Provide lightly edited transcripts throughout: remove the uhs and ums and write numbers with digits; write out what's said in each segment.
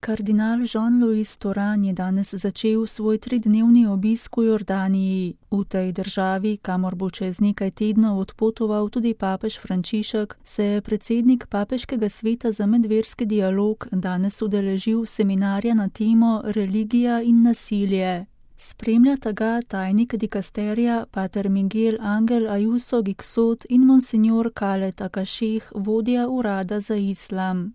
Kardinal Jean-Louis Thuran je danes začel svoj 3-dnevni obisk v Jordaniji. V tej državi, kamor bo čez nekaj tednov odpotoval tudi papež Frančišek, se je predsednik Papeškega sveta za medverski dialog danes udeležil seminarja na temo Religija in nasilje. Spremljata ga tajnik dikasterija pater Miguel Angel Ayuso Gixot in monsignor Khaled Akasheh, vodja urada za islam.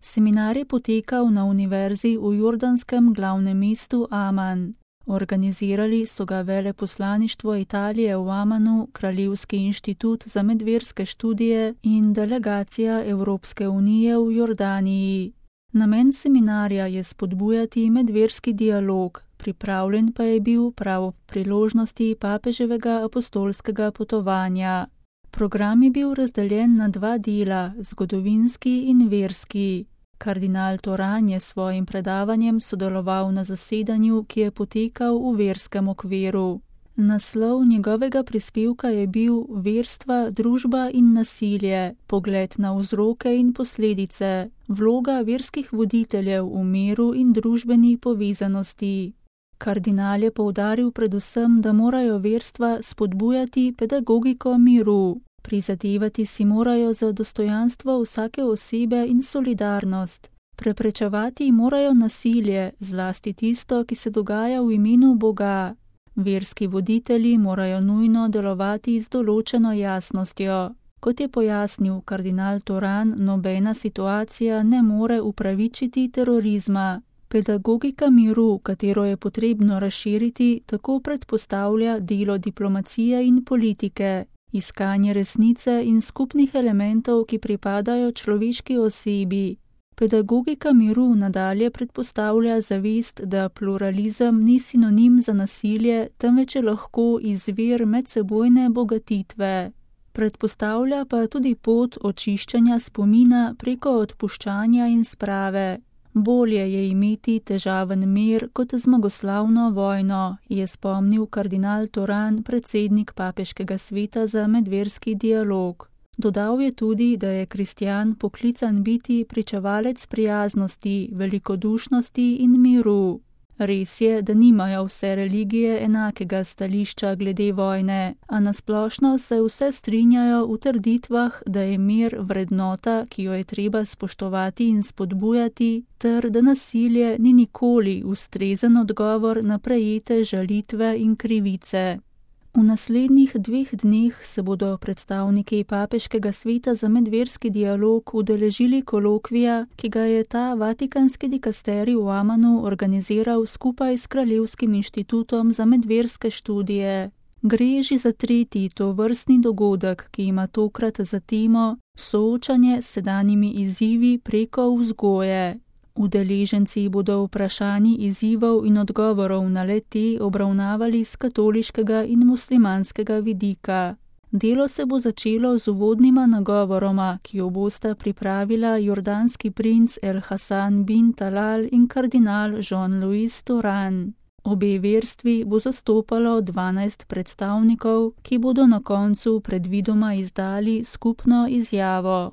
Seminar je potekal na univerzi v jordanskem glavnem mestu Aman. Organizirali so ga veleposlaništvo Italije v Amanu, Kraljevski inštitut za medverske študije in delegacija Evropske unije v Jordaniji. Namen seminarja je spodbujati medverski dialog, pripravljen pa je bil prav ob priložnosti papeževega apostolskega potovanja. Program je bil razdeljen na 2 dela, zgodovinski in verski. Kardinal Thuran je s svojim predavanjem sodeloval na zasedanju, ki je potekal v verskem okviru. Naslov njegovega prispevka je bil Verstva, družba in nasilje, pogled na vzroke in posledice, vloga verskih voditeljev v miru in družbeni povezanosti. Kardinal je poudaril predvsem, da morajo verstva spodbujati pedagogiko miru. Prizadevati si morajo za dostojanstvo vsake osebe in solidarnost. Preprečevati morajo nasilje, zlasti tisto, ki se dogaja v imenu Boga. Verski voditelji morajo nujno delovati z določeno jasnostjo. Kot je pojasnil kardinal Thuran, nobena situacija ne more upravičiti terorizma. Pedagogika miru, katero je potrebno razširiti, tako predpostavlja delo diplomacije in politike. Iskanje resnice in skupnih elementov, ki pripadajo človeški osebi. Pedagogika miru nadalje predpostavlja zavest, da pluralizem ni sinonim za nasilje, temveč je lahko izvir medsebojne bogatitve. Predpostavlja pa tudi pot očiščanja spomina preko odpuščanja in sprave. Bolje je imeti težaven mir kot zmagoslavno vojno, je spomnil kardinal Thuran, predsednik Papeškega sveta za medverski dialog. Dodal je tudi, da je kristjan poklican biti pričevalec prijaznosti, velikodušnosti in miru. Res je, da nimajo vse religije enakega stališča glede vojne, a nasplošno se vse strinjajo v trditvah, da je mir vrednota, ki jo je treba spoštovati in spodbujati, ter da nasilje ni nikoli ustrezen odgovor na prejete žalitve in krivice. V naslednjih 2 dneh se bodo predstavniki Papeškega sveta za medverski dialog udeležili kolokvija, ki ga je ta vatikanski dikasterij v Amanu organiziral skupaj s Kraljevskim inštitutom za medverske študije. Gre že za 3. tovrstni dogodek, ki ima tokrat za temo soočanje s sedanjimi izzivi preko vzgoje. Udeleženci bodo vprašanji izzivov in odgovorov na le-te obravnavali s katoliškega in muslimanskega vidika. Delo se bo začelo z uvodnima nagovoroma, ki jo bosta pripravila jordanski princ El Hassan bin Talal in kardinal Jean-Louis Thuran. Obe verstvi bo zastopalo 12 predstavnikov, ki bodo na koncu predvidoma izdali skupno izjavo.